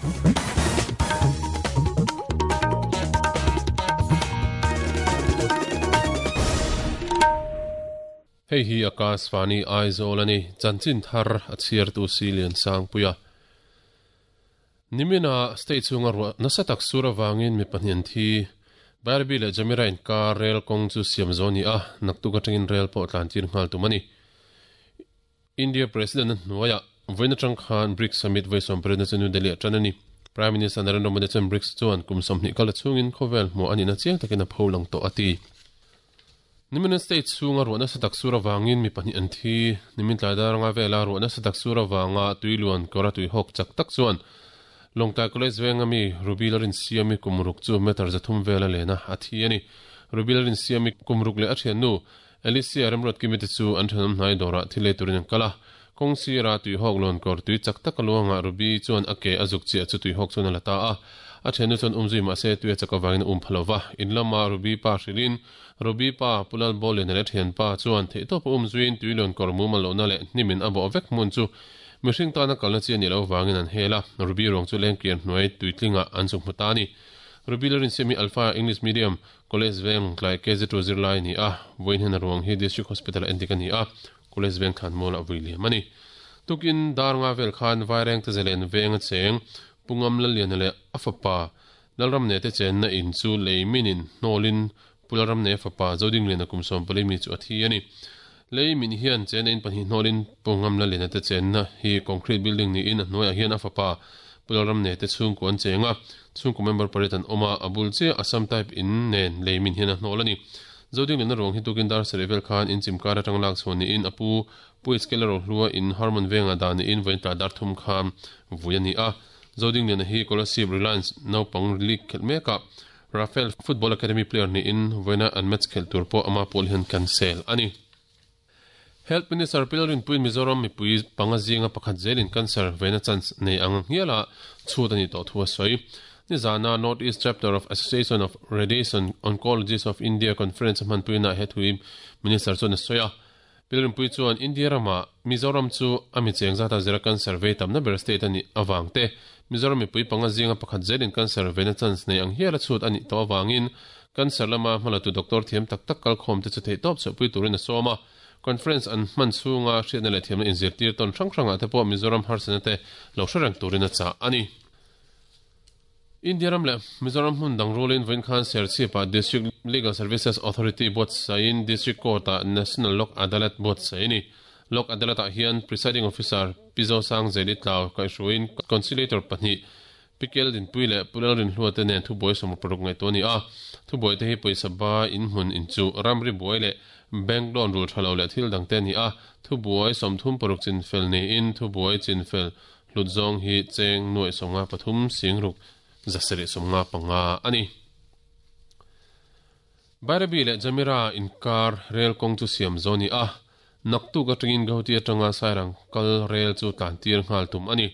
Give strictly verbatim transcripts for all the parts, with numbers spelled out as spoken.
Hei hi Akashvani Aizawl ani chanchin thar a chhiar tu Silian Sangpuia. Nimina state chunga ro nasa tak sura wangin mi pahnian thi Bairabi le Jamira in car rail kong chu siam zoni a naktuk atangin rail pawh tlan tir nghal tumani. India President Nuaya voina tang khan BRICS Summit voi som pariat na chu New Delhi atangani. Prime Minister Narendra Modi chuan BRICS chuan kum sawmhnih kal chungin khawvel hmu ani na chiang takin a pholang tawh ati. Nimin state chunga ro nasa tak sura wangin mi pahnih an thi nimin tlai daranga vela ro nasa tak sura wanga tuiluan kora tui hawk chak tak chuan Longtai College venga mi Ruby Larin Siami kumruk chu meter zathum vela lena a thi ani. Ruby Larin Siami kumruk le a thian nu Alicia Remrot kimite chu an thanam hnai dora thilei turin an kala kong si ra tui hawk lon kor tui chak tak luanga Ruby chuan ake azuk chi chu tui hawk chuan a lata a a thenu chuan umzui ma se tui chakawangin um phalova in lama Ruby pa hrilin Ruby pa pulal bolin le thian pa chuan thei top umzuin tui lon kor mu malo na le nimin abo vek mun chu mihring tana kalna chi ani lo wangin an hela Ruby rong chu lengkian hnuai tuitlinga an chu hmutani. Ruby Larin Semi Alpha English Medium College Veng tlai K G two zero lai ni a voin hen ruang hi District Hospital endik ani a College Veng khan mol a vui mani. Tukin darnga vel khan vaireng te zelen veng a cheng pungam lalian le afapa lalram ne te chen na in chu leiminin nolin pularam ne fapa zoding le na kumsom palimi chu athi ani. Leimin hian chen in pahnih nolin pungam lalian te chen na hi concrete building ni in hnuaiah hian afapa pularam ne te chhung ku an chenga chhung ku member pariat an awma abul che Assam type in nen leimin hian a hnol ani. Zoding lena rong hi tukin dar serevel khan in chimkar atang lak chhoni in apu pu skeler hlua in Harmon venga dan in voin ta dar thum kham vui ani a. Zoding lena hi Scholarship Reliance naupang league khel meka Rafael Football Academy player ni in voina an match khel tur pawh ama pawl hian cancel ani. Health Minister Pilarin Puin Mizoram mi pui panga zinga pakhat zelin cancer veina chance nei ang hiala chhut ani to thua soi. Nizana North East Chapter of Association of Radiation Oncologists of India Conference man puina he thui Minister chuan soya. Pilarin Pui chuan India rama Mizoram chu ami cheng zata zera cancer vei tamna ber state ani awang te Mizoram mi pui panga zinga pakhat zelin cancer veina chance nei ang hiala chhut ani to awangin cancer lama hmalatu doctor thiam tak tak kal khom te chu thei top chu pui turin a sawma. Conference an man chunga hriatna leh thiamna inzirtir tawn hrang hrangah te pawh Mizoram harsana te lo hre reng turin a chah ani. India ram le Mizoram hmun dang rulin voin khan Serchhipa District Legal Services Authority board sain District Court a National Lok Adalat board saini. Lok Adalat ah hian Presiding Officer Pizo Sang Zeli Tlau kaihruin Conciliator pahnih Pikel din pui le pulal rin hlua te nen thubuai sawm paruk ngai to ni a. Thubuai te hi pawisa ba in hmun in chu ramri buai le bank loan rul thalo le thil dang te ni a. Thubuai sawmthum paruk chin fel ni in thubuai chin fel hlut zawng hi cheng nuai sawnga pathum singruk zasari sawnga panga ani. Bairabi le Jamira inkar rail kong chu siam zoni a. Naktuk atangin Guwahati atanga Sairang kal rail chu tlan tir nghal tum ani.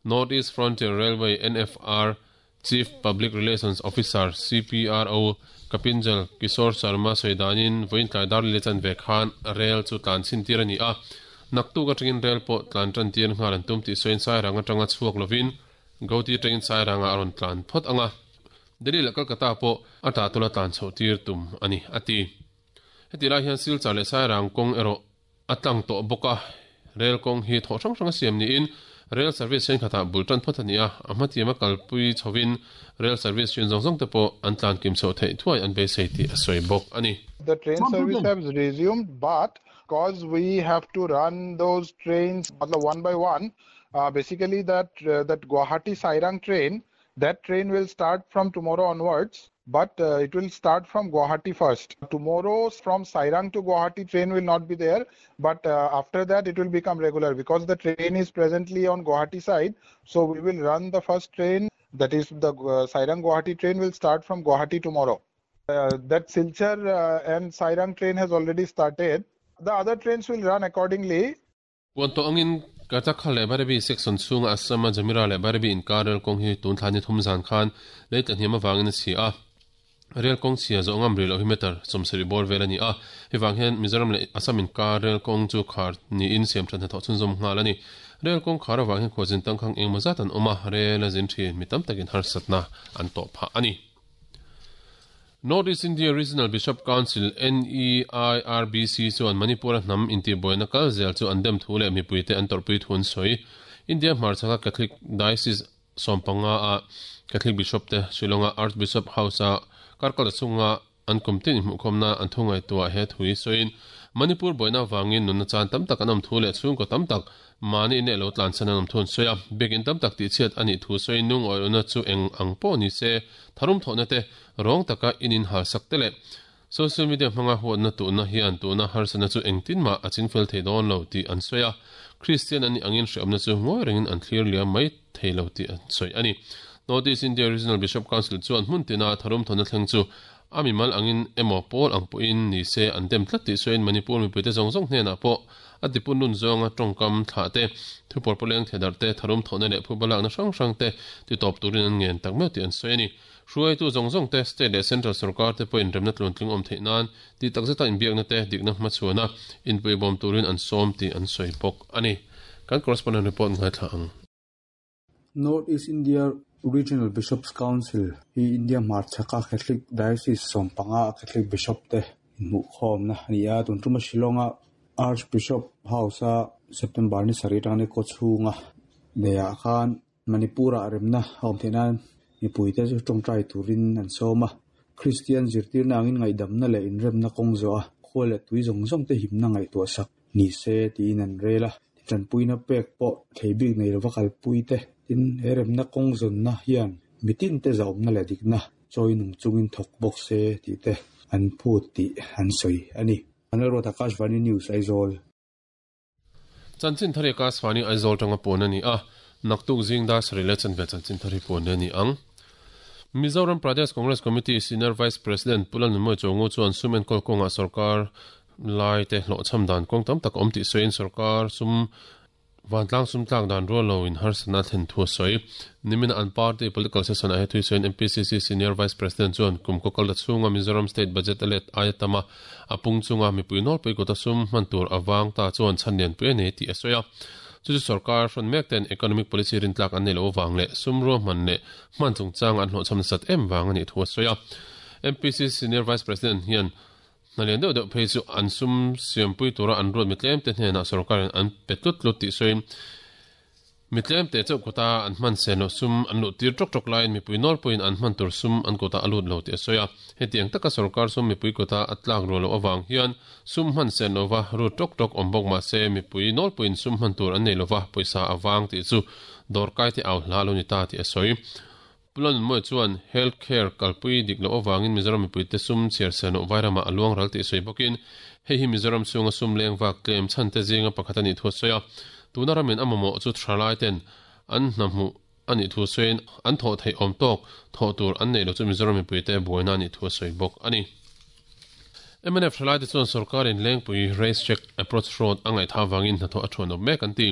North East Frontier Railway N F R Chief Public Relations Officer C P R O Kapinjal Kishore Sharma soidanin voin tlai dar le chan ve khan rail chu tlan chin tir ani a. Naktuk atangin rail pawh tlan tan tir nghal an tum tih sawiin Sairang atanga chhuak lovin Guwahati atangin Sairanga a rawn tlan phawt anga. Delhi leh Kolkata pawh a tah tula tlan chhoh tir tum ani ati. Heti lai hian Silchar leh Sairang kawng erawh a tlang tawh bawk a. Rail kawng hi thawh hrang hrang a siam niin rail service chen khatah bul tan phawt ani a. A hmatiam a kalpui chhovin rail service hrin zawng zawng te pawh an tlan kim chhoh theih thuai an beisei tih a sawi bawk ani. The train service has resumed, but because we have to run those trains one by one, uh, basically that, uh, that Guwahati Sairang train, that train will start from tomorrow onwards, but, uh, it will start from Guwahati first. Tomorrow from Sairang to Guwahati train will not be there, but, uh, after that it will become regular because the train is presently on Guwahati side. So we will run the first train, that is the, uh, Sairang Guwahati train will start from Guwahati tomorrow. Uh, that Silchar, uh, and Sairang train has already started. The other trains will run accordingly. Puan to angin Karchak le Bairabi section chunga Assam Jamira le Bairabi inkar rail kawng hi tun thlani thum zan khan lei tla hniam awangin a chhi a. Rail kawng chhia zawng am ril lo hi meter sawmsarih bawr vel ani a. Hei vang hian Mizoram le Assam inkar rail kawng chu khar niin siam than hnathawh chhunzawm nghal ani. Rel kong khara wang hin khojin tangkhang engmaw zat an awm a, rel a zin thin mi tam takin harsatna an tawh phah a ni. North East India Regional Bishop Council N E I R B C chuan Manipur hnam intibuaina kal zel chu an dem thu leh mipuite an tawrhpui thun sawi. India hmarchhaka Catholic Diocese sawmpanga a Catholic Bishop te Shillonga Archbishop House a karkal chunga an kumtin hmuhkhawmna an thungai tuah he thui sawiin Manipur buaina wangin nunna chan tam tak an awm thu leh chhungkaw tam tak mani ne lo tlan chan an awm thun sawi a, biakin tam tak tih chhiat ani thu sawiin nung awihna chu eng ang pawh ni se tharum thawhna te rawng taka inin hal sak te leh social media hmanga huatna tuhna hian tuhna harsana chu engtin mah a chingfel thei dawn lo tih an sawi a, Christian ani angin hreawmna chu ngawi rengin an thlir liam mai thei lo tih an sawi ani. North East India Regional Bishop Council chuan hmun tina tharum thawhna thleng chu ami mal angin emaw pawl ang pawhin ni se an dem tlat tih sawiin Manipur mipuite zawng zawng hnenah pawh a tipun nun zawnga tawngkam thlah te thupawr pawleng thedar te tharum thawhna leh phubalakna hrang hrang te ti tawp turin an ngen tak meuh tih an sawi ani. Hruaitu zawng zawng te state leh central sarkar te pawhin remna tluantling awm theih nan ti takzeta inbiakna te dikna hmachhuana inpuibawm turin an sawm tih an sawi bawk ani. Kan correspondent report ngai thla ang. North East India Regional Bishops Council hi India hmarchhaka Catholic Diocese sawmpanga a Catholic Bishop te inhmuhkhawmna ani a, tun tuma Shillonga Archbishop House a September ni sarih atangin kaw chhunga neihah khan Manipur-ah remna a awm theih nan mipuite chu tawngtai turin an sawm a, Christian zirtirna angin ngaihdamna leh inremna kawng zawh a, khual leh tui zawng zawng te himna ngaihtuah sak ni se tiin an rel a, tanpuina pek pawh thei bik nei lova kalpui te tin he remna kawng zawnna hian mitin te zawmna leh dikna chawi nung chungin thawk bawk se tih te an phut tih an sawi ani. Anal Akashvani News Aizawl. Chanchin thari Akashvani Aizawl tanga pawn ani a, naktuk zing da sari le chanve chanchin thari pawn ani ang. Mizoram Pradesh Congress Committee Senior Vice President Pulan Moi Chongu chuan sumen kolkonga sarkar lai te hlo cham dan kong tam tak awm tih sawiin sarkar sum vantlang sum tlak dan rual lo in harsana thlen thu sawi. Nimin an party political session a he thui sawiin M P C C Senior Vice President chuan kum ko kal chhunga Mizoram State Budget alet ayatama apung chunga mipui nawr pui kota sum hman tur awang ta chuan chhan pui ani tih a sawi a. Chu chu sarkar hrawn mek ten economic policy rin tlak an nei lo wang leh sum ruah hman leh hman chungchang an hlawh cham sat em wang ani thu a sawi a. M P C Senior Vice President hian nalian deuh deuh phei chu an sum siampui tura an ruat mitlem te hnenah sarkarin an pe tlut tlut tih sawiin mitlem te chauh kota an hman sen lo sum an luh tir ṭawk ṭawk laiin mipui nawlpuiin an hman tur sum an kota a lut lo tih a sawi a. Hetiang taka sarkar sum mipui kota a tlak rual loh awang hian sum hman sen lova ru ṭawk ṭawk awm bawk mah se mipui nawlpuiin sum hman tur an nei lova pawisa awang tih chu dawrkai te au hla lo ni ta tih a sawi. Pulan Moi chuan health care kalpui dik lo awangin Mizoram mipui te sum chhiar sen loh vairama a luang ral tih sawi bawkin hei hi Mizoram chhunga sum leng vak tlem chhan te zinga pakhat ani thu a sawi a. Tuna ramin a mamawh chu thalai ten an hnahmu ani thu sawiin an thawh theih awm tawk thawh tur an nei lo chu Mizoram mipui te buaina ani thu a sawi bawk ani. M N F thalai te chuan sarkarin lengpui race check approach road a ngaihtha wangin hnathawh a thuan awm mek an ti.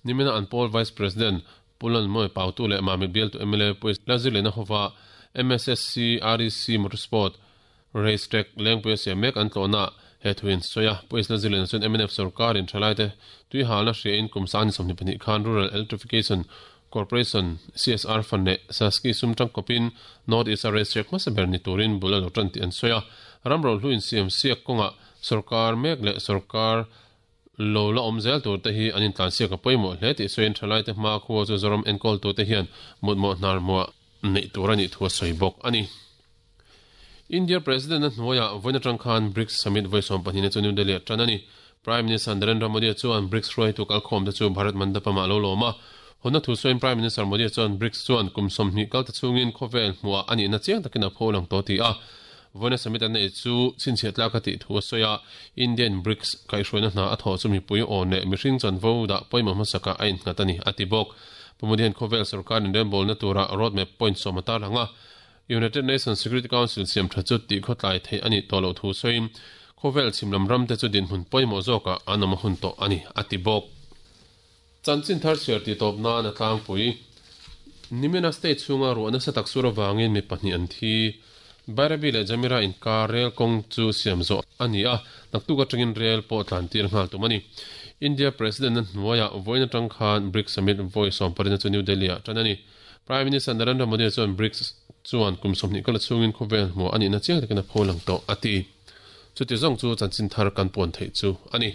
Nimina an Paul Vice President Pulan Moi Pautu leh Mami Bial tu M L A Puis Lazilena hova M S S C R E C Motorsport Race Track lengpui siam mek an tlawhna he thuin sawi a. Puis Lazilena chuan M N F sarkarin thalai te tui halna hriain kum sani sawmhnih pahnih khan Rural Electrification Corporation C S R fund leh Saski sum tangkawpin North East Race Track hmasa ber ni turin bul a lo tan tih an sawi a. Ramro hluin siam siak kawnga sarkar mek leh sarkar lo la awm zel tur te hi an intlan siak a pawimawh hle tih sawiin thalai te hma khua chu Zoram enkawl tu te hian mutmawh hnar muah neih tur ani thu a sawi bawk ani. India President na hnuaiah vawiin atang khan BRICS Summit vawi sawm pahnih chu New Delhi ah tan ani. Prime Minister Narendra Modi chuan BRICS hruaitu kalkhawm te chu Bharat Mandapam ah lo lawm a. Hona thu sawiin Prime Minister Modi chuan BRICS chuan kum sawmhnih kal te chhungin khawvel hmuah ani na chiang takin a pho lang tawh ti a. Vawiin summit an nei chu chhinchhiah tlak a tih thu a sawi a. Indian BRICS kaihhruaina hna a thawh chu mipui awn leh mihring chanvo dah pawimawh hmasaka a innghat ani a ti bawk. Pumudi hian khawvel sarkarin rembolna tura roadmap point sawm a tarlang a. United Nations Security Council siam tha chu tih khawtlai thei ani tawh loh thu sawiin khawvel chhimlam ram te chu dinhmun pawimawh zawkah an awm a hun tawh ani a ti bawk. Chanchin thar chhiar ti tawp nan a tlangpui. Nimina state chhunga ruahna satak sur awangin mi pahnih an thi. Bairabi leh Jamira inkar rel kawng chu siam zawh a ni a, naktuk atangin rel pawh tlan tir nghal tum a ni. India President na hnuaiah vawiin atang khan BRICS Summit vawi sawm parina chu New Delhi ah tan a ni. Prime Minister Narendra Modi chuan BRICS chuan kum sawmhnih kala chhungin khawvel hmuh a nihna chiang takin a pho lang tawh a ti. Chuti zawng chu chanchin thar kan puan theih chu a ni.